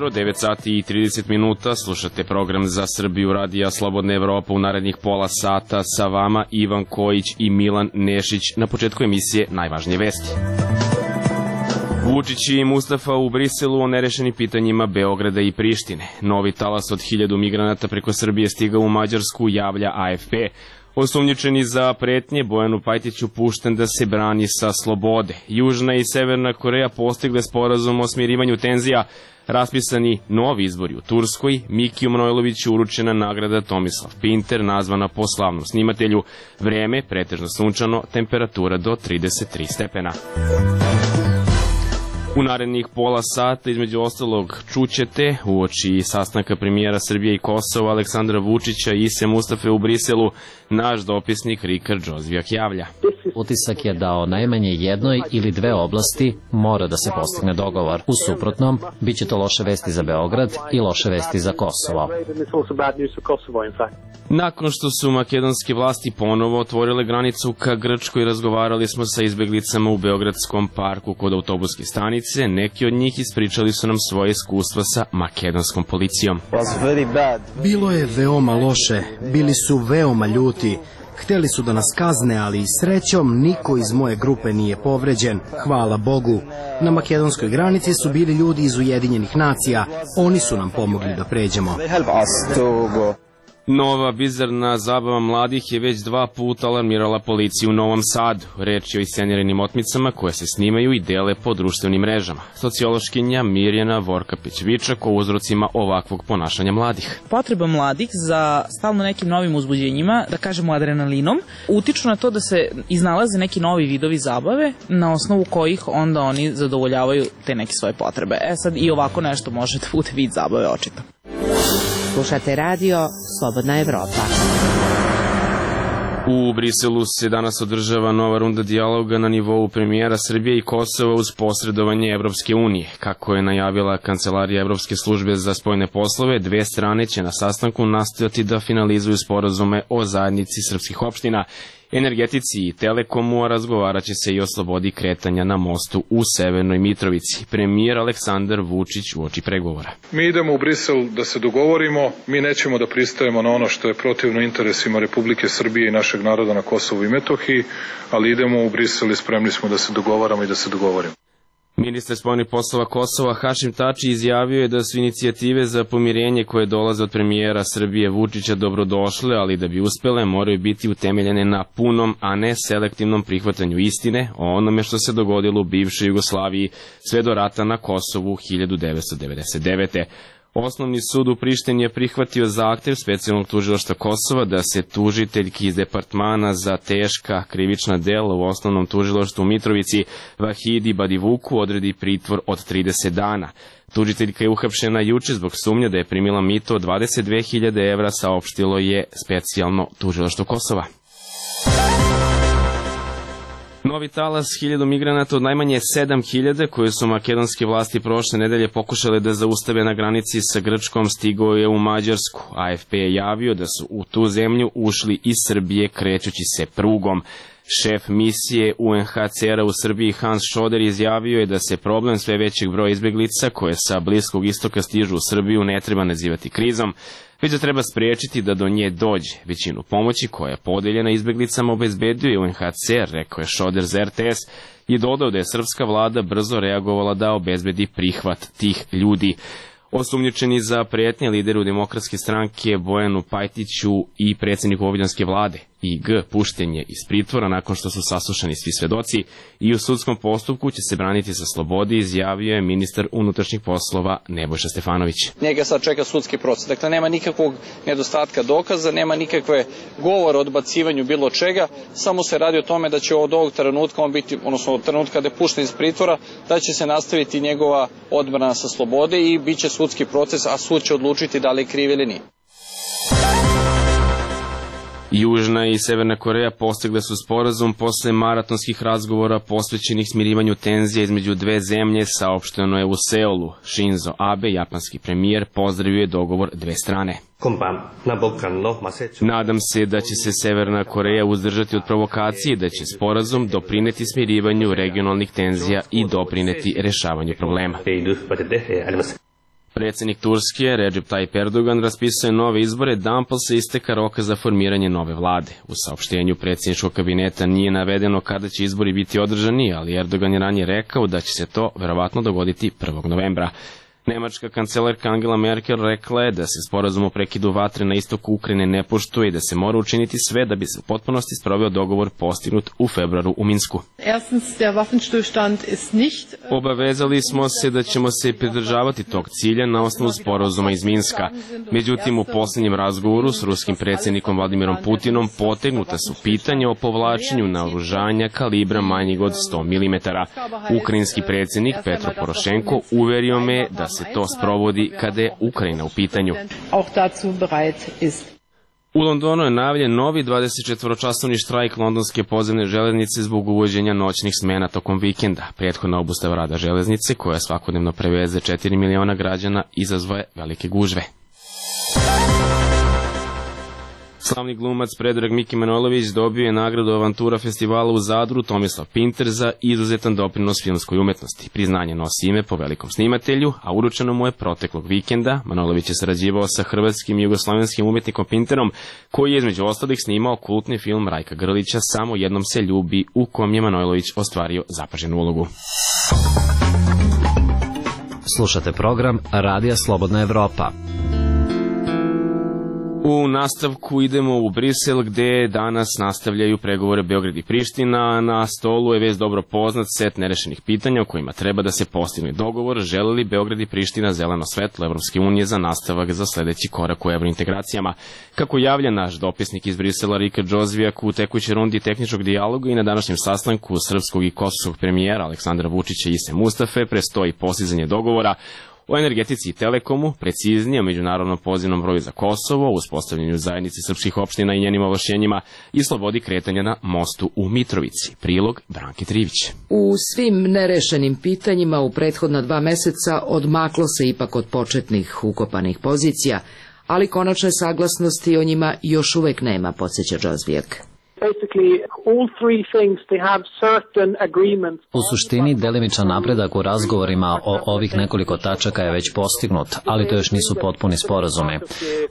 jutro, 9 sati i 30 minuta, slušate program Za Srbiju radija Slobodna Evropa u narednih pola sata, sa vama Ivan Kojić i Milan Nešić. Na početku emisije najvažnije vesti. Vučić i Mustafa u Briselu o nerešenim pitanjima Beograda i Prištine. Novi talas od 1000 migranata preko Srbije stigao u Mađarsku, javlja AFP. Osumnjičeni za pretnje Bojanu Pajtiću pušten da se brani sa slobode. Južna i Severna Koreja postigle sporazum o smirivanju tenzija. Raspisani novi izbori u Turskoj, Mikiju Manojloviću uručena nagrada Tomislav Pinter, nazvana po slavnom snimatelju. Vreme pretežno sunčano, temperatura do 33 stepena. U narednih pola sata, između ostalog, čućete uoči sastanka premijera Srbije i Kosova Aleksandra Vučića i Ise Mustafe u Briselu, naš dopisnik Rikard Džozvijak javlja. Utisak je da o najmanje jednoj ili dve oblasti mora da se postigne dogovor. U suprotnom, bit će to loše vesti za Beograd i loše vesti za Kosovo. Nakon što su makedonske vlasti ponovo otvorile granicu ka Grčkoj, razgovarali smo sa izbeglicama u Beogradskom parku kod autobuske stanice. Neki od njih ispričali su nam svoje iskustva sa makedonskom policijom. Bilo je veoma loše, bili su veoma ljuti. Hteli su da nas kazne, ali srećom niko iz moje grupe nije povređen, hvala Bogu. Na makedonskoj granici su bili ljudi iz Ujedinjenih nacija, oni su nam pomogli da pređemo. Nova bizarna zabava mladih je već 2 puta alarmirala policiju u Novom Sadu. Reč je o isceniranim otmicama koje se snimaju i dele po društvenim mrežama. Sociološkinja Mirjana Vorkapić-Vičak o uzrocima ovakvog ponašanja mladih. Potreba mladih za stalno nekim novim uzbuđenjima, da kažemo adrenalinom, utiču na to da se iznalaze neki novi vidovi zabave na osnovu kojih onda oni zadovoljavaju te neke svoje potrebe. Sad i ovako nešto može da bude vid zabave očito. Slušate radio Slobodna Evropa. U Briselu se danas održava nova runda dijaloga na nivou premijera Srbije i Kosova uz posredovanje Evropske unije. Kako je najavila Kancelarija Evropske službe za spoljne poslove, dve strane će na sastanku nastojati da finalizuju sporazume o zajednici srpskih opština, energetici i telekomu, a razgovarat će se i o slobodi kretanja na mostu u Severnoj Mitrovici. Premijer Aleksandar Vučić uoči pregovora. Mi idemo u Brisel da se dogovorimo, mi nećemo da pristajemo na ono što je protivno interesima Republike Srbije i našeg naroda na Kosovu i Metohiji, ali idemo u Brisel i spremni smo da se dogovaramo i da se dogovorimo. Ministar spoljnih poslova Kosova Hašim Tači izjavio je da su inicijative za pomirenje koje dolaze od premijera Srbije Vučića dobrodošle, ali da bi uspele moraju biti utemeljene na punom, a ne selektivnom prihvatanju istine o onome što se dogodilo u bivšoj Jugoslaviji sve do rata na Kosovu 1999. Osnovni sud u Prištini je prihvatio zahtev specijalnog tužilaštva Kosova da se tužiteljki iz departmana za teška krivična dela u osnovnom tužilaštvu u Mitrovici Vahidi Badivuku odredi pritvor od 30 dana. Tužiteljka je uhapšena juče zbog sumnje da je primila mito od 22.000 evra, saopštilo je specijalno tužilaštvo Kosova. Novi talas 1000 migranata od najmanje 7000 koje su makedonske vlasti prošle nedelje pokušale da zaustave na granici sa Grčkom stigao je u Mađarsku. AFP je javio da su u tu zemlju ušli iz Srbije krećući se prugom. Šef misije UNHCR-a u Srbiji Hans Šoder izjavio je da se problem sve većeg broja izbeglica koje sa Bliskog istoka stižu u Srbiju ne treba nazivati krizom, već da treba spriječiti da do nje dođe. Većinu pomoći koja je podeljena izbeglicama obezbedio je UNHCR, rekao je Šoder za RTS, i dodao da je srpska vlada brzo reagovala da obezbedi prihvat tih ljudi. Osumnjičeni za pretnje lideru Demokratske stranke Bojanu Pajtiću i predsjedniku vojvođanske vlade IG pušten je iz pritvora nakon što su saslušani svi svedoci i u sudskom postupku će se braniti sa slobode, izjavio je ministar unutrašnjih poslova Nebojša Stefanović. Njega sad čeka sudski proces. Dakle, nema nikakvog nedostatka dokaza, nema nikakve govora o odbacivanju bilo čega, samo se radi o tome da će od ovog trenutka on biti, odnosno od trenutka kada je pušten iz pritvora, da će se nastaviti njegova odbrana sa slobode i bit će sudski proces, a sud će odlučiti da li je kriv ili nije. Južna i Severna Koreja postigle su sporazum posle maratonskih razgovora posvećenih smirivanju tenzija između dve zemlje, saopšteno je u Seulu. Shinzo Abe, japanski premijer, pozdravio je dogovor dve strane. Nadam se da će se Severna Koreja uzdržati od provokacije i da će sporazum doprineti smirivanju regionalnih tenzija i doprineti rešavanju problema. Predsjednik Turske, Recep Tayyip Erdogan, raspisuje nove izbore dan posle isteka roka za formiranje nove vlade. U saopštenju predsjedničkog kabineta nije navedeno kada će izbori biti održani, ali Erdogan je ranije rekao da će se to verovatno dogoditi 1. novembra. Nemačka kancelarka Angela Merkel rekla je da se sporazum o prekidu vatre na istoku Ukrajine ne poštuje i da se mora učiniti sve da bi se u potpunosti sproveo dogovor postignut u februaru u Minsku. Obavezali smo se da ćemo se pridržavati tog cilja na osnovu sporazuma iz Minska. Međutim, u posljednjem razgovoru s ruskim predsjednikom Vladimirom Putinom potegnuta su pitanja o povlačenju naoružanja kalibra manjeg od 100 mm. Ukrajinski predsjednik Petro Porošenko uverio me da se to sprovodi kada je Ukrajina u pitanju. U Londonu je najavljen novi 24-časovni štrajk londonske podzemne železnice zbog uvođenja noćnih smena tokom vikenda. Prethodna obustava rada železnice, koja svakodnevno preveze 4 miliona građana, izazvaje velike gužve. Slavni glumac Predrag Miki Manojlović dobio je nagradu Avantura festivala u Zadru Tomislav Pinter za izuzetan doprinos filmskoj umetnosti. Priznanje nosi ime po velikom snimatelju, a uručeno mu je proteklog vikenda. Manojlović je sarađivao sa hrvatskim i jugoslovenskim umetnikom Pinterom, koji je između ostalih snimao kultni film Rajka Grlića Samo jednom se ljubi, u kom je Manojlović ostvario zapaženu ulogu. Slušate program Radija Slobodna Evropa. U nastavku idemo u Brisel, gde danas nastavljaju pregovore Beograd i Priština. Na stolu je već dobro poznat set nerešenih pitanja o kojima treba da se postigne dogovor. Žele li Beograd i Priština zeleno svetlo Evropske unije za nastavak za sledeći korak u evrointegracijama? Kako javlja naš dopisnik iz Brisela Rika Džozvijak, u tekućoj rundi tehničkog dijaloga i na današnjem sastanku srpskog i kosovskog premijera Aleksandra Vučića i Ise Mustafe prestoji postizanje dogovora o energetici i telekomu, preciznije o međunarodnom pozivnom broju za Kosovo, uspostavljanju zajednice srpskih opština i njenim ovlašćenjima i slobodi kretanja na mostu u Mitrovici. Prilog Branke Trivić. U svim nerešenim pitanjima u prethodna 2 meseca odmaklo se ipak od početnih ukopanih pozicija, ali konačne saglasnosti o njima još uvek nema, podsjeća Džozvijak. U suštini, delimičan napredak u razgovorima o ovih nekoliko tačaka je već postignut, ali to još nisu potpuni sporazumi.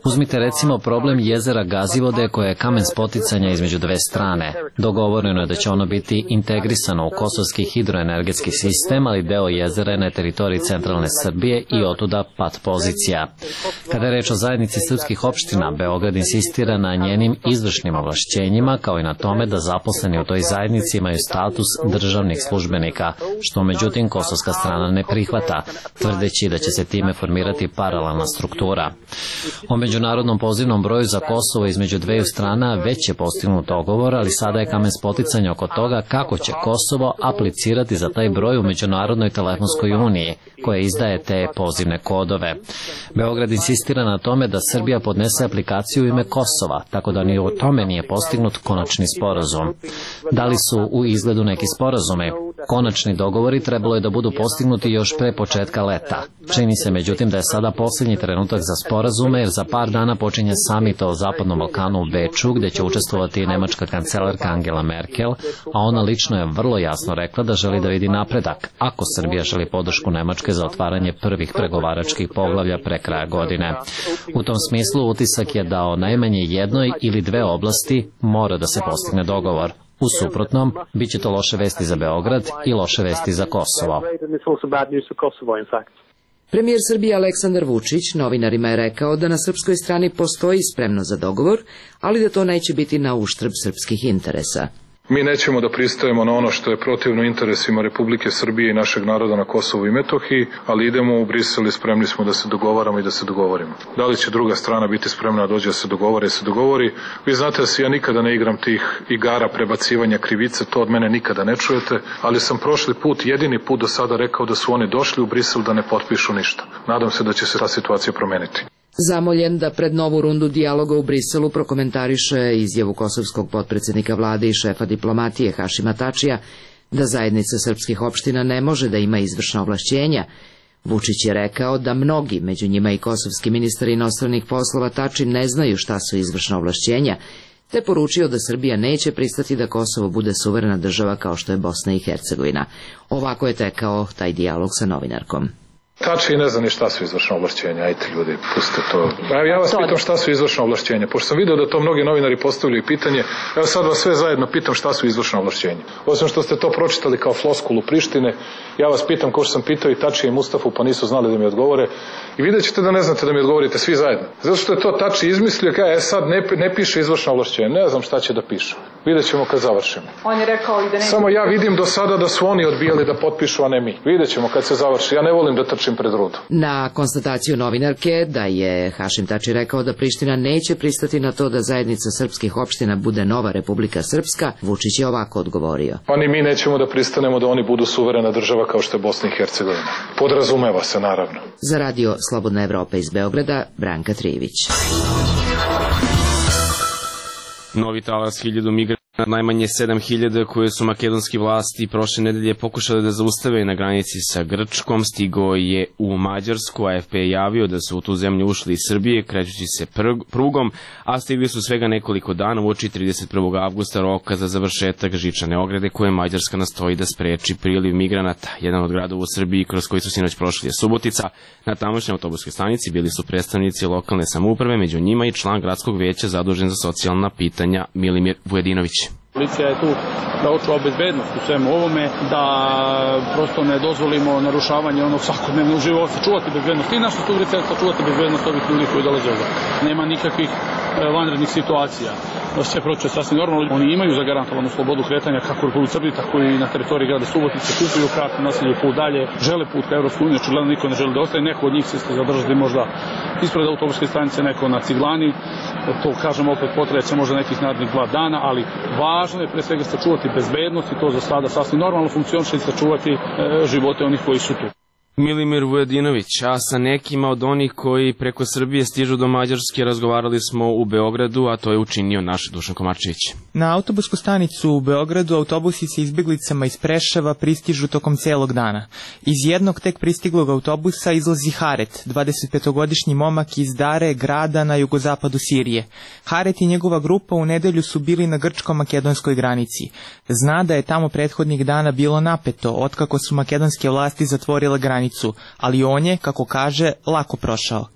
Uzmite recimo problem jezera Gazivode, koje je kamen spoticanja između dve strane. Dogovoreno je da će ono biti integrisano u kosovski hidroenergetski sistem, ali deo jezera je na teritoriji centralne Srbije i otuda pat pozicija. Kada je reč o zajednici srpskih opština, Beograd insistira na njenim izvršnim ovlašćenjima, kao i na tome da zaposleni u toj zajednici imaju status državnih službenika, što međutim kosovska strana ne prihvata, tvrdeći da će se time formirati paralelna struktura. O međunarodnom pozivnom broju za Kosovo između dveju strana već je postignut dogovor, ali sada je kamen spoticanja oko toga kako će Kosovo aplicirati za taj broj u Međunarodnoj telefonskoj uniji, koja izdaje te pozivne kodove. Beograd insistira na tome da Srbija podnese aplikaciju u ime Kosova, tako da ni o tome nije postignut konačni sporazum. Da li su u izgledu neki sporazumi? Konačni dogovori trebalo je da budu postignuti još pre početka leta. Čini se međutim da je sada posljednji trenutak za sporazume, jer za par dana počinje samit o Zapadnom Balkanu u Beču, gde će učestvovati i nemačka kancelarka Angela Merkel, a ona lično je vrlo jasno rekla da želi da vidi napredak, ako Srbija želi podršku Nemačke za otvaranje prvih pregovaračkih poglavlja pre kraja godine. U tom smislu utisak je da o najmanje jednoj ili dve oblasti mora da se postigne dogovor. U suprotnom, bit će to loše vesti za Beograd i loše vesti za Kosovo. Premijer Srbije Aleksandar Vučić novinarima je rekao da na srpskoj strani postoji spremnost za dogovor, ali da to neće biti na uštrb srpskih interesa. Mi nećemo da pristajemo na ono što je protivno interesima Republike Srbije i našeg naroda na Kosovu i Metohiji, ali idemo u Brisel i spremni smo da se dogovaramo i da se dogovorimo. Da li će druga strana biti spremna da dođe da se dogovori? Vi znate da se ja nikada ne igram tih igara prebacivanja krivice, to od mene nikada ne čujete, ali sam prošli put, jedini put do sada rekao da su oni došli u Brisel da ne potpišu ništa. Nadam se da će se ta situacija promeniti. Zamoljen da pred novu rundu dijaloga u Briselu prokomentariše izjavu kosovskog potpredsjednika vlade i šefa diplomatije Hašima Tačija da zajednica srpskih opština ne može da ima izvršna ovlašćenja, Vučić je rekao da mnogi, među njima i kosovski ministar inostranih poslova Tači, ne znaju šta su izvršna ovlašćenja, te poručio da Srbija neće pristati da Kosovo bude suverena država kao što je Bosna i Hercegovina. Ovako je tekao taj dijalog sa novinarkom. Tači i ne zna ni šta su izvršna ovlašćenja, ajte ljudi, pustite to. Ja vas pitam šta su izvršna ovlašćenja, pošto sam video da to mnogi novinari postavljaju pitanje, evo sad vas sve zajedno pitam šta su izvršna ovlašćenja. Osim što ste to pročitali kao floskulu Prištine, ja vas pitam kao što sam pitao i Tači i Mustafu, pa nisu znali da mi odgovore, i vidjet ćete da ne znate da mi odgovorite svi zajedno. Zato što je to Tači izmislio, kaže, sad ne piše izvršna ovlašćenja, ne znam šta će da piše. Vidjet ćemo kad završimo. On je rekao i da ne... Samo ja vidim do sada da su oni odbijali da potpišu, a ne mi. Vidjet ćemo kad se završi. Ja ne volim da trčim pred rudu. Na konstataciju novinarke da je Hašim Tači rekao da Priština neće pristati na to da zajednica srpskih opština bude nova Republika Srpska, Vučić je ovako odgovorio. Pa ni mi nećemo da pristanemo da oni budu suverena država kao što je Bosna i Hercegovina. Podrazumeva se, naravno. Za radio Slobodna Evropa iz Beograda, Branka Trivić. Novi talas 1000 migranata, najmanje 7000 koje su makedonski vlasti prošle nedelje pokušali da zaustave na granici sa Grčkom, stigao je u Mađarsku. AFP je javio da su u tu zemlju ušli iz Srbije krećući se prugom, a stigli su svega nekoliko dana uoči 31. avgusta roka za završetak žičane ograde koje Mađarska nastoji da spreči priliv migranata. Jedan od gradova u Srbiji kroz koji su sinoć prošli je Subotica. Na tamošnjoj autobuskoj stanici bili su predstavnici lokalne samouprave, među njima i član gradskog veća zadužen za socijalna pitanja Milimir Vujedinović. Policija je tu da očuva bezbednost u svemu ovome, da prosto ne dozvolimo narušavanje onog svakodnevnog života, čuvati bezbednost i naša sugrađanstva, čuvati bezbednost ovih ljudi koji dolaze ovdje. Nema nikakvih vanrednih situacija. Sve proče sasvim normalno. Oni imaju zagarantovanu slobodu kretanja kako u Republici Srbiji, tako i na teritoriji grada Subotice, kupuju kartu, nastavljaju put dalje, žele put ka Evropskoj uniji, očigledno niko ne želi da ostaje, neko od njih se zadržati možda ispred autobuske stanice, neko na Ciglani, to kažem opet potreće možda nekih narednih 2 dana, ali važno je pre svega sačuvati bezbednost i to za sada sasvim normalno funkcioniše i sačuvati živote onih koji su tu. Milimir Vujedinović, a sa nekima od onih koji preko Srbije stižu do Mađarske razgovarali smo u Beogradu, a to je učinio naš Dušan Komarčević. Na autobusku stanicu u Beogradu autobusi sa izbjeglicama iz Preševa pristižu tokom celog dana. Iz jednog tek pristiglog autobusa izlazi Haret, 25-godišnji momak iz Dare, grada na jugozapadu Sirije. Haret i njegova grupa u nedelju su bili na grčko-makedonskoj granici. Zna da je tamo prethodnih dana bilo napeto, otkako su makedonske vlasti zatvorile granicu, ali on je, kako kaže, lako prošao.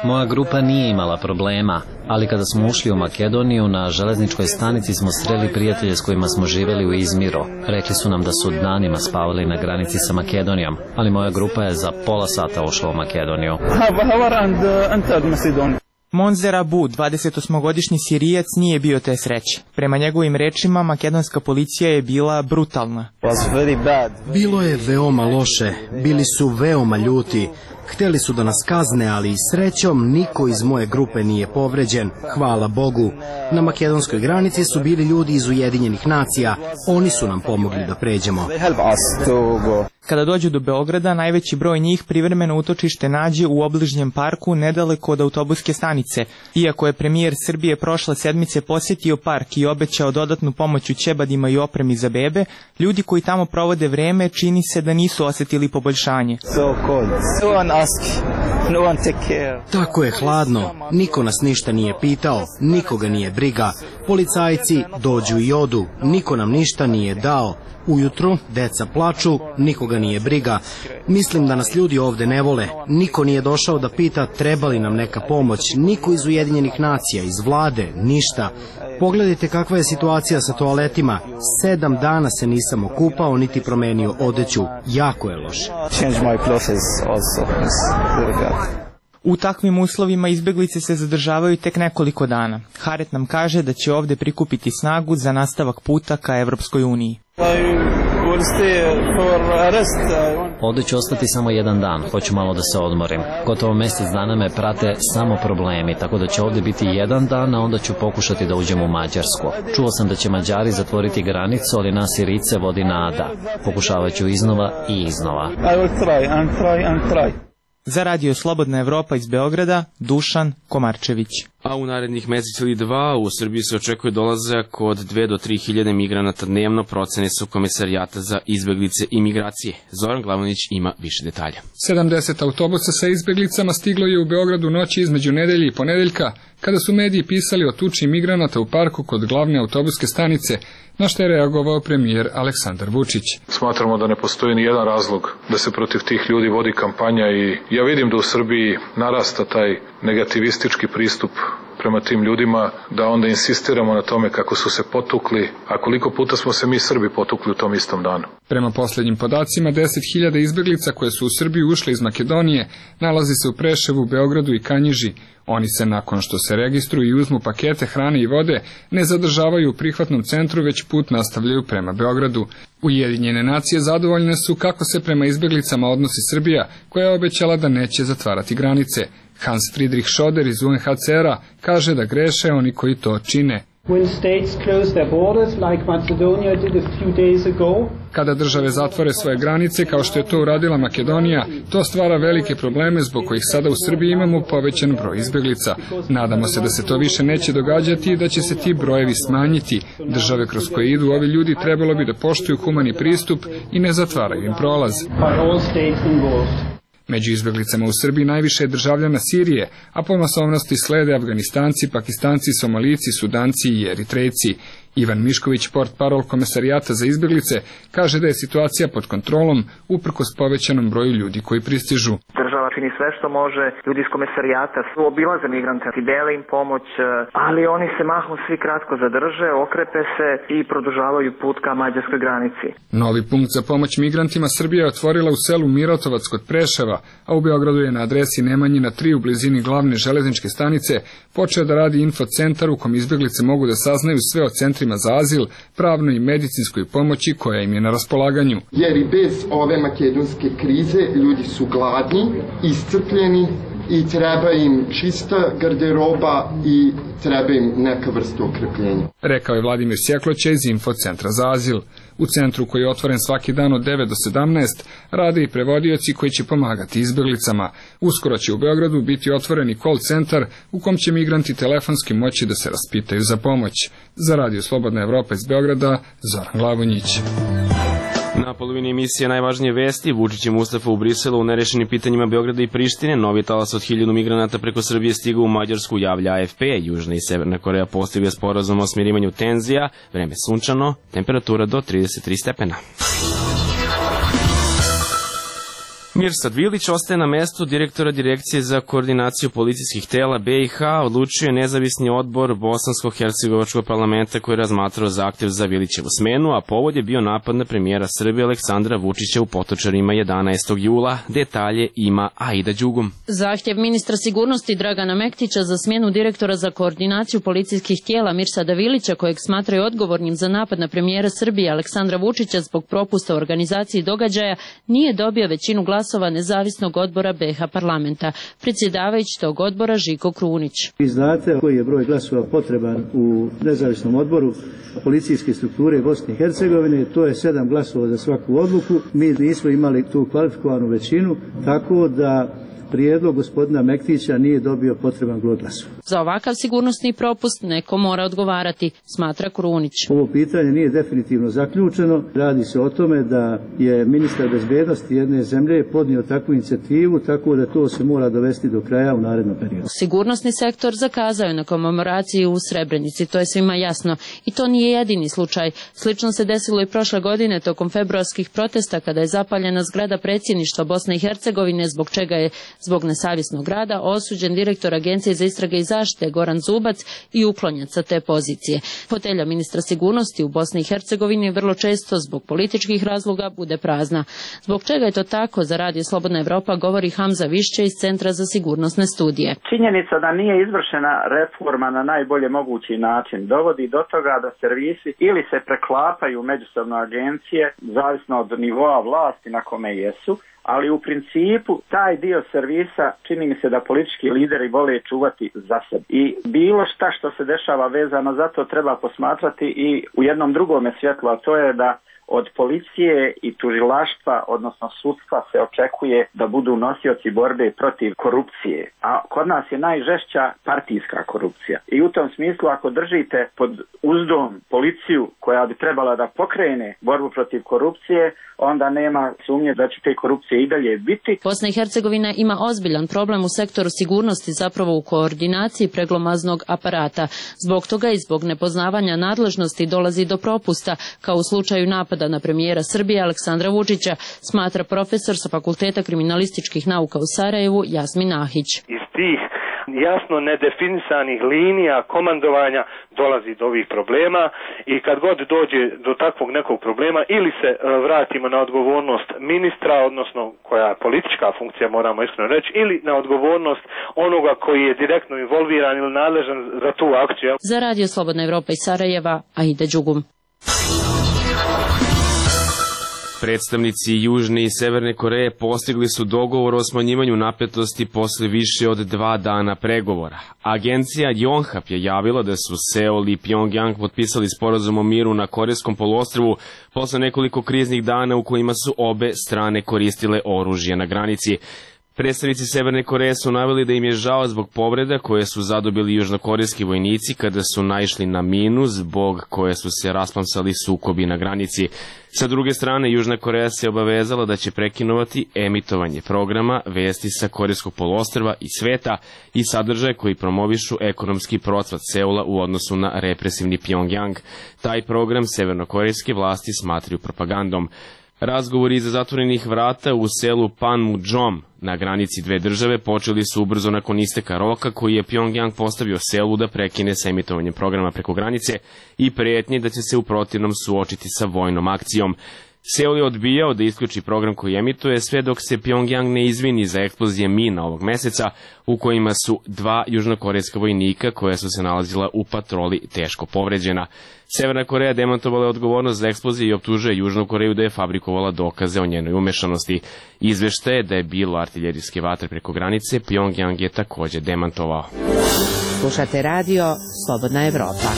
Moja grupa nije imala problema, ali kada smo ušli u Makedoniju, na železničkoj stanici smo sreli prijatelje s kojima smo živjeli u Izmiru. Rekli su nam da su danima spavali na granici sa Makedonijom, ali moja grupa je za pola sata ušla u Makedoniju. Monzer Abu, 28-godišnji Sirijac, nije bio te sreće. Prema njegovim rečima, makedonska policija je bila brutalna. Bilo je veoma loše, bili su veoma ljuti. Hteli su da nas kazne, ali srećom niko iz moje grupe nije povređen, hvala Bogu. Na makedonskoj granici su bili ljudi iz Ujedinjenih nacija, oni su nam pomogli da pređemo. Kada dođu do Beograda, najveći broj njih privremeno utočište nađe u obližnjem parku nedaleko od autobuske stanice. Iako je premijer Srbije prošle sedmice posjetio park i obećao dodatnu pomoć u ćebadima i opremi za bebe, ljudi koji tamo provode vreme čini se da nisu osjetili poboljšanje. Tako je hladno, niko nas ništa nije pitao, nikoga nije briga. Policajci dođu i odu, niko nam ništa nije dao. Ujutru deca plaču, nikoga nije briga. Mislim da nas ljudi ovde ne vole. Niko nije došao da pita treba li nam neka pomoć. Niko iz Ujedinjenih nacija, iz vlade, ništa. Pogledajte kakva je situacija sa toaletima. 7 dana se nisam okupao niti promenio odeću. Jako je loše. U takvim uslovima izbjeglice se zadržavaju tek nekoliko dana. Haret nam kaže da će ovde prikupiti snagu za nastavak puta ka Evropskoj uniji. Ovdje ću ostati samo 1 dan, hoću malo da se odmorim. Gotovo mjesec dana me prate samo problemi, tako da će ovdje biti 1 dan, a onda ću pokušati da uđem u Mađarsku. Čuo sam da će Mađari zatvoriti granicu, ali nas Sirice vodi nada. Pokušavat ću iznova i iznova. Za radio Slobodna Evropa iz Beograda, Dušan Komarčević. A u narednih mesec ili dva u Srbiji se očekuje dolazak od 2 do 3 hiljade migranata dnevno, procene su Komesarijata za izbeglice i migracije. Zoran Glavonić ima više detalja. 70 autobusa sa izbeglicama stiglo je u Beogradu noći između nedelje i ponedeljka, kada su mediji pisali o tuči migranata u parku kod glavne autobuske stanice, na što je reagovao premijer Aleksandar Vučić. Smatramo da ne postoji ni jedan razlog da se protiv tih ljudi vodi kampanja i ja vidim da u Srbiji narasta taj negativistički pristup prema tim ljudima, da onda insistiramo na tome kako su se potukli, a koliko puta smo se mi Srbi potukli u tom istom danu. Prema posljednjim podacima, 10.000 izbeglica koje su u Srbiju ušle iz Makedonije nalazi se u Preševu, Beogradu i Kanjiži. Oni se nakon što se registruju i uzmu pakete hrane i vode ne zadržavaju u prihvatnom centru, već put nastavljaju prema Beogradu. Ujedinjene nacije zadovoljne su kako se prema izbeglicama odnosi Srbija, koja je obećala da neće zatvarati granice. Hans Friedrich Schoder iz UNHCR-a kaže da greše oni koji to čine. Kada države zatvore svoje granice, kao što je to uradila Makedonija, to stvara velike probleme zbog kojih sada u Srbiji imamo povećan broj izbeglica. Nadamo se da se to više neće događati i da će se ti brojevi smanjiti. Države kroz koje idu ovi ljudi trebalo bi da poštuju humani pristup i ne zatvaraju im prolaz. Među izbeglicama u Srbiji najviše je državljana Sirije, a po masovnosti slede Afganistanci, Pakistanci, Somalijci, Sudanci i Eritrejci. Ivan Mišković, portparol Komesarijata za izbeglice, kaže da je situacija pod kontrolom uprkos povećanom broju ljudi koji pristižu. Država čini sve što može, ljudi iz Komesarijata su obilaze migrante i dele im pomoć, ali oni se mahom svi kratko zadrže, okrepe se i produžavaju put ka mađarskoj granici. Novi punkt za pomoć migrantima Srbija je otvorila u selu Mirotovac kod Preševa, a u Beogradu je na adresi Nemanjina 3 u blizini glavne železničke stanice počeo da radi infocentar u kom izbeglice mogu da saznaju sve o centrima za azil, pravnoj i medicinskoj pomoći koja im je na raspolaganju. Jer i bez ove makedonske krize ljudi su gladni, iscrpljeni i treba im čista garderoba i treba im neka vrsta okrepljenja. Rekao je Vladimir Sjekloća iz Infocentra za azil. U centru koji je otvoren svaki dan od 9 do 17 rade i prevodioci koji će pomagati izbeglicama. Uskoro će u Beogradu biti otvoren i call centar u kom će migranti telefonski moći da se raspitaju za pomoć. Za Radio Slobodna Evropa iz Beograda, Zoran Glavonjić. Na polovini emisije najvažnije vesti, Vučić i Mustafa u Briselu u nerešenim pitanjima Beograda i Prištine, novi talas od 1000 migranata preko Srbije stigao u Mađarsku, javlja AFP, Južna i Severna Koreja postigli sporazum o smirivanju tenzija, vreme sunčano, temperatura do 33 stepena. Mirsad Vilić ostaje na mestu direktora Direkcije za koordinaciju policijskih tela BiH, odlučio je nezavisni odbor Bosansko-Hercegovačkog parlamenta koji je razmatrao zahtjev za Vilićevu smenu, a povod je bio napad na premijera Srbije Aleksandra Vučića u Potočarima 11. jula. Detalje ima Aida Đugum. Zahtjev ministra sigurnosti Dragana Mektića za smjenu direktora za koordinaciju policijskih tijela Mirsada Vilića, kojeg smatraju odgovornim za napad na premijera Srbije Aleksandra Vučića zbog propusta u organizaciji događaja, nije dobio većinu glasova nezavisnog odbora BiH parlamenta. Predsjedavajući tog odbora Žiko Krunić. Vi znate koji je broj glasova potreban u nezavisnom odboru policijske strukture Bosne i Hercegovine, to je 7 glasova za svaku odluku. Mi nismo imali tu kvalifikovanu većinu, tako da prijedlog gospodina Mektića nije dobio potreban broj glasova. Za ovakav sigurnosni propust neko mora odgovarati, smatra Krunić. Ovo pitanje nije definitivno zaključeno. Radi se o tome da je ministar bezbednosti jedne zemlje podnio takvu inicijativu, tako da to se mora dovesti do kraja u narednom periodu. Sigurnosni sektor zakazao je na komemoraciji u Srebrenici, to je svima jasno. I to nije jedini slučaj. Slično se desilo i prošle godine tokom februarskih protesta kada je zapaljena zgrada predsjedništva Bosne i Hercegovine, zbog čega je zbog nesavjesnog rada osuđen direktor Agencije za istrage i zaštite Goran Zubac i uklonjen sa te pozicije. Fotelja ministra sigurnosti u Bosni i Hercegovini vrlo često zbog političkih razloga bude prazna. Zbog čega je to tako, za Radio Slobodna Evropa govori Hamza Višće iz Centra za sigurnosne studije. Činjenica da nije izvršena reforma na najbolje mogući način dovodi do toga da servisi ili se preklapaju međusobno agencije, zavisno od nivoa vlasti na kome jesu, ali u principu taj dio servisa čini mi se da politički lideri vole čuvati za sebe. I bilo šta što se dešava vezano za to treba posmatrati i u jednom drugome svjetlu, a to je da od policije i tužilaštva, odnosno sudstva, se očekuje da budu nosioci borbe protiv korupcije. A kod nas je najžešća partijska korupcija. I u tom smislu, ako držite pod uzdom policiju koja bi trebala da pokrene borbu protiv korupcije, onda nema sumnje da će te korupcije i dalje biti. Bosna i Hercegovina ima ozbiljan problem u sektoru sigurnosti, zapravo u koordinaciji preglomaznog aparata. Zbog toga i zbog nepoznavanja nadležnosti dolazi do propusta, kao u slučaju napada na premijera Srbije Aleksandra Vučića, smatra profesor sa Fakulteta kriminalističkih nauka u Sarajevu Jasmin Ahić. Iz tih jasno nedefinisanih linija komandovanja dolazi do ovih problema i kad god dođe do takvog nekog problema ili se vratimo na odgovornost ministra, odnosno koja je politička funkcija, moramo iskreno reći, ili na odgovornost onoga koji je direktno involviran ili nadležan za tu akciju. Za Radio Slobodna Evropa iz Sarajeva, Aida Đugum. Predstavnici Južne i Severne Koreje postigli su dogovor o smanjivanju napetosti posle više od 2 dana pregovora. Agencija Yonhap je javila da su Seul i Pyongyang potpisali sporazum o miru na Korejskom poluostrvu posle nekoliko kriznih dana u kojima su obe strane koristile oružje na granici. Predstavnici Severne Koreje su naveli da im je žao zbog povreda koje su zadobili južnokorejski vojnici kada su naišli na minu zbog koje su se rasplamsali sukobi na granici. Sa druge strane, Južna Koreja se obavezala da će prekinovati emitovanje programa vesti sa Korejskog poluostrva i sveta i sadržaje koji promovišu ekonomski procvat Seula u odnosu na represivni Pyongyang. Taj program severnokorejske vlasti smatraju propagandom. Razgovori iza zatvorenih vrata u selu Panmunjom na granici dve države počeli su ubrzo nakon isteka roka koji je Pyongyang postavio Seulu da prekine sa emitovanjem programa preko granice i prijetnje da će se u protivnom suočiti sa vojnom akcijom. Seul je odbijao da isključi program koji emituje sve dok se Pyongyang ne izvini za eksplozije mina ovog meseca u kojima su 2 južnokorejska vojnika koja su se nalazila u patroli teško povređena. Severna Koreja demantovala je odgovornost za eksplozije i optužuje Južnu Koreju da je fabrikovala dokaze o njenoj umešanosti. Izveštaje da je bilo artiljerijske vatre preko granice, Pyongyang je također demantovao. Slušate radio Slobodna Evropa.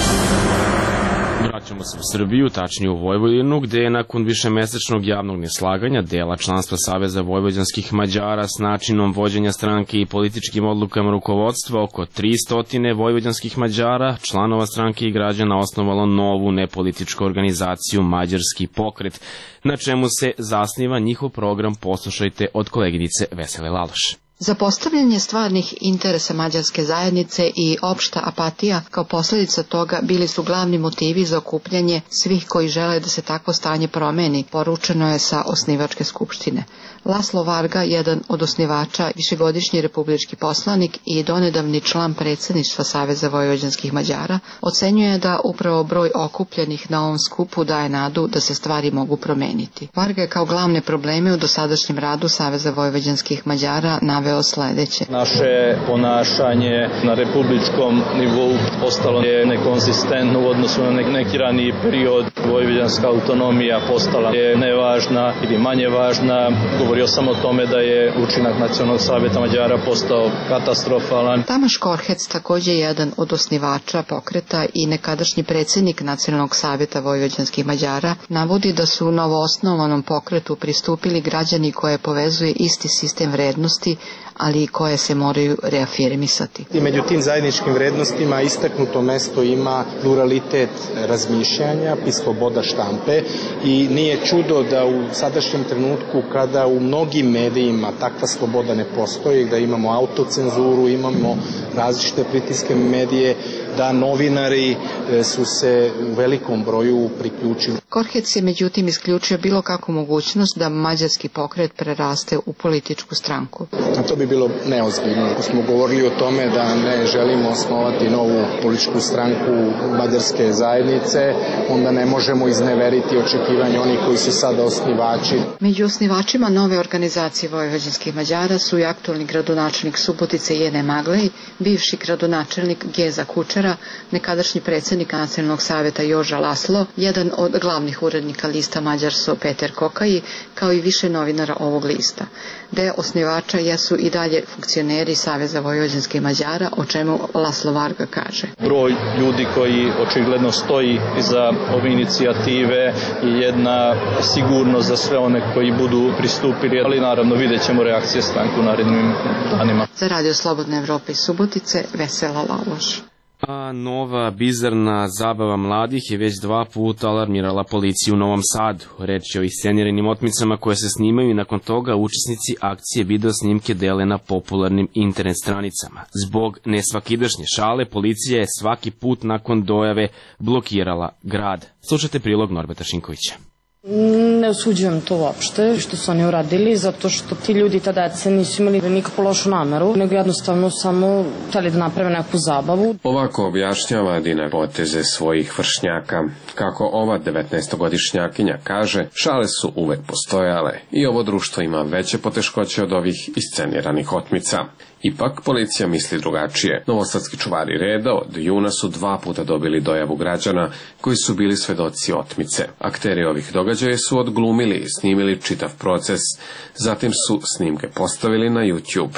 Vraćamo se u Srbiju, tačnije u Vojvodinu, gde je nakon višemesečnog javnog neslaganja dela članstva Saveza vojvođanskih Mađara s načinom vođenja stranke i političkim odlukama rukovodstva oko 300 vojvođanskih Mađara, članova stranke i građana osnovalo novu nepolitičku organizaciju Mađarski pokret, na čemu se zasniva njihov program. Poslušajte od koleginice Vesele Laloš. Zapostavljanje stvarnih interesa mađarske zajednice i opšta apatija kao posljedica toga bili su glavni motivi za okupljanje svih koji žele da se takvo stanje promeni, poručeno je sa osnivačke skupštine. Laslo Varga, jedan od osnivača, višegodišnji republički poslanik i donedavni član predsjedništva Saveza vojvođanskih Mađara, ocenjuje da upravo broj okupljenih na ovom skupu daje nadu da se stvari mogu promeniti. Varga je kao glavne probleme u dosadašnjem radu Saveza vojvođanskih Mađara naveo sledeće. Naše ponašanje na republičkom nivou postalo je nekonsistentno u odnosu na neki raniji period. Vojvođanska autonomija postala je nevažna ili manje važna. Govorio sam o tome da je učinak Nacionalnog savjeta Mađara postao katastrofalan. Tamaš Korhec, također jedan od osnivača pokreta i nekadašnji predsjednik Nacionalnog savjeta vojvođanskih Mađara, navodi da su novoosnovanom pokretu pristupili građani koje povezuje isti sistem vrednosti, ali i koje se moraju reafirmisati. I među tim zajedničkim vrednostima istaknuto mesto ima pluralitet razmišljanja i sloboda štampe i nije čudo da u sadašnjem trenutku kada u mnogim medijima takva sloboda ne postoji, da imamo autocenzuru, imamo različite pritiske medije, da novinari su se u velikom broju priključili. Korhec je međutim isključio bilo kakvu mogućnost da mađarski pokret preraste u političku stranku. A to bi bilo neozbiljno. Ako smo govorili o tome da ne želimo osnovati novu političku stranku mađarske zajednice, onda ne možemo izneveriti očekivanje onih koji su sada osnivači. Među osnivačima nove organizacije vojvođanskih Mađara su i aktualni gradonačelnik Subotice Jene Maglej, bivši gradonačelnik Geza Kučar novinara, nekadašnji predsjednik Nacionalnog savjeta Joža Laslo, jedan od glavnih urednika lista Mađarso Peter Kokaji, kao i više novinara ovog lista. Deo osnivača jesu i dalje funkcioneri Saveza vojvođanskih Mađara, o čemu Laslo Varga kaže. Broj ljudi koji očigledno stoji iza ove inicijative i jedna sigurnost za sve one koji budu pristupili, ali naravno vidjet ćemo reakcije stranke u narednim danima. Za Radio Slobodna Evropa iz Subotice, Vesela Laloš. A nova bizarna zabava mladih je već 2 puta alarmirala policiju u Novom Sadu. Reč je o isceniranim otmicama koje se snimaju i nakon toga učesnici akcije video snimke dele na popularnim internet stranicama. Zbog nesvakidašnje šale, policija je svaki put nakon dojave blokirala grad. Slušajte prilog Norberta Šinkovića. Ne osuđujem to uopšte što su oni uradili, zato što ti ljudi ta deca nisu imali nikakvu lošu nameru, nego jednostavno samo hteli da naprave neku zabavu. Ovako objašnjava Dina poteze svojih vršnjaka. Kako ova 19-godišnjakinja kaže, šale su uvek postojale i ovo društvo ima veće poteškoće od ovih isceniranih otmica. Ipak, policija misli drugačije. Novosadski čuvari reda od juna su 2 puta dobili dojavu građana koji su bili svedoci otmice. Akteri ovih događaja su odglumili i snimili čitav proces, zatim su snimke postavili na YouTube.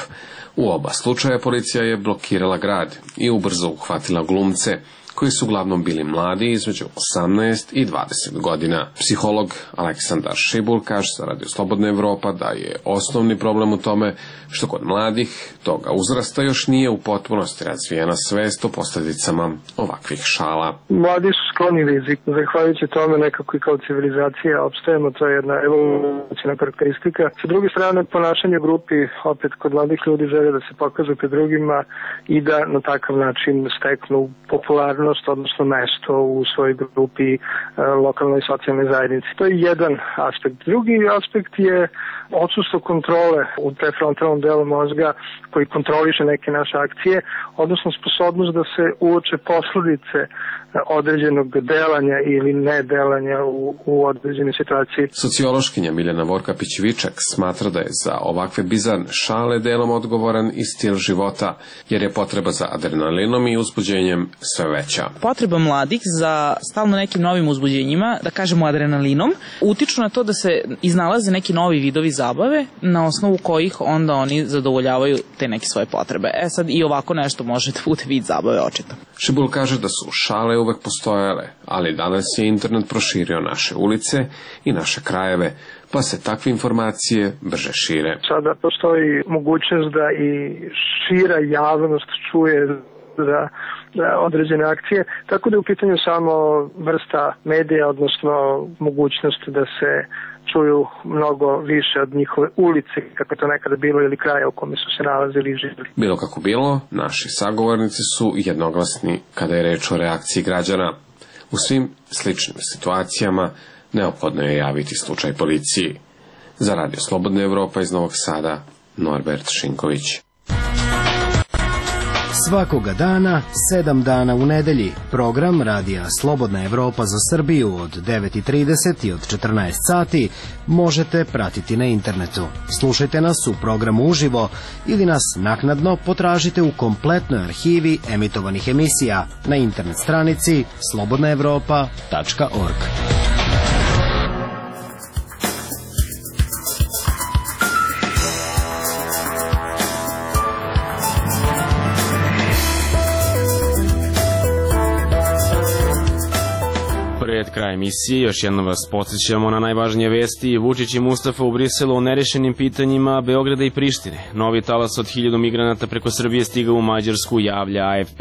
U oba slučaja policija je blokirala grad i ubrzo uhvatila glumce, koji su uglavnom bili mladi između 18 i 20 godina. Psiholog Aleksandar Šibul kaže za Radio Slobodna Evropa da je osnovni problem u tome što kod mladih toga uzrasta još nije u potpunosti razvijena svest o posljedicama ovakvih šala. Mladi su skloni riziku, zahvaljujući tome nekako i kao civilizacija opstajemo, to je jedna evolucijna karakteristika. Sa druge strane, ponašanje u grupi, opet kod mladih ljudi žele da se pokažu pred drugima i da na takav način steknu popularnost, odnosno mesto u svojoj grupi, lokalnoj i socijalnoj zajednici. To je jedan aspekt. Drugi aspekt je odsustvo kontrole u prefrontalnom delu mozga koji kontroliše neke naše akcije, odnosno sposobnost da se uoče posledice određenog delanja ili nedelanja u određenoj situaciji. Sociološkinja Miljana Vorkapić-Vičak smatra da je za ovakve bizarne šale delom odgovoran i stil života, jer je potreba za adrenalinom i uzbuđenjem sve veća. Potreba mladih za stalno nekim novim uzbuđenjima, da kažemo adrenalinom, utiču na to da se iznalaze neki novi vidovi zabave na osnovu kojih onda oni zadovoljavaju te neke svoje potrebe. Sad i ovako nešto može da bude vid zabave očito. Šibul kaže da su šale uvek postojale, ali danas je internet proširio naše ulice i naše krajeve, pa se takve informacije brže šire. Sada postoji mogućnost da i šira javnost čuje za određene akcije, tako da je u pitanju samo vrsta medija, odnosno mogućnost da se čuju mnogo više od njihove ulice, kako je to nekada bilo, ili kraja u kome su se nalazili i živjeli. Bilo kako bilo, naši sagovornici su jednoglasni kada je reč o reakciji građana. U svim sličnim situacijama neophodno je javiti slučaj policiji. Za Radio Slobodna Evropa iz Novog Sada, Norbert Šinković. Svakoga dana, 7 dana u nedelji, program Radija Slobodna Evropa za Srbiju od 9:30 i od 14 sati možete pratiti na internetu. Slušajte nas u programu uživo ili nas naknadno potražite u kompletnoj arhivi emitovanih emisija na internet stranici slobodnaevropa.org. Pred kraj emisije još jednom vas podsjećamo na najvažnije vesti. Vučić i Mustafa u Briselu o nerešenim pitanjima Beograda i Prištine. Novi talas od 1000 migranata preko Srbije stigao u Mađarsku, javlja AFP.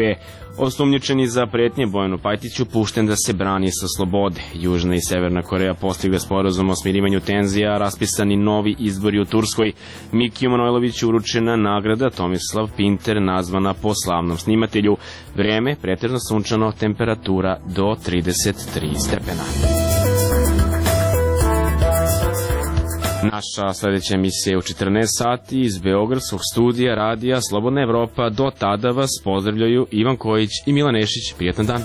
Osumnjičeni za pretnje Bojanu Pajtiću pušten da se brani sa slobode. Južna i Severna Koreja postigla sporazum o smirivanju tenzija, raspisani novi izbori u Turskoj. Mikiju Manojloviću uručena nagrada Tomislav Pinter, nazvana po slavnom snimatelju. Vreme pretežno sunčano, temperatura do 33 stepena. Naša sledeća emisija je u 14 sati iz Beogradskog studija Radija Slobodna Evropa. Do tada vas pozdravljaju Ivan Kojić i Milan Nešić. Prijetan dan.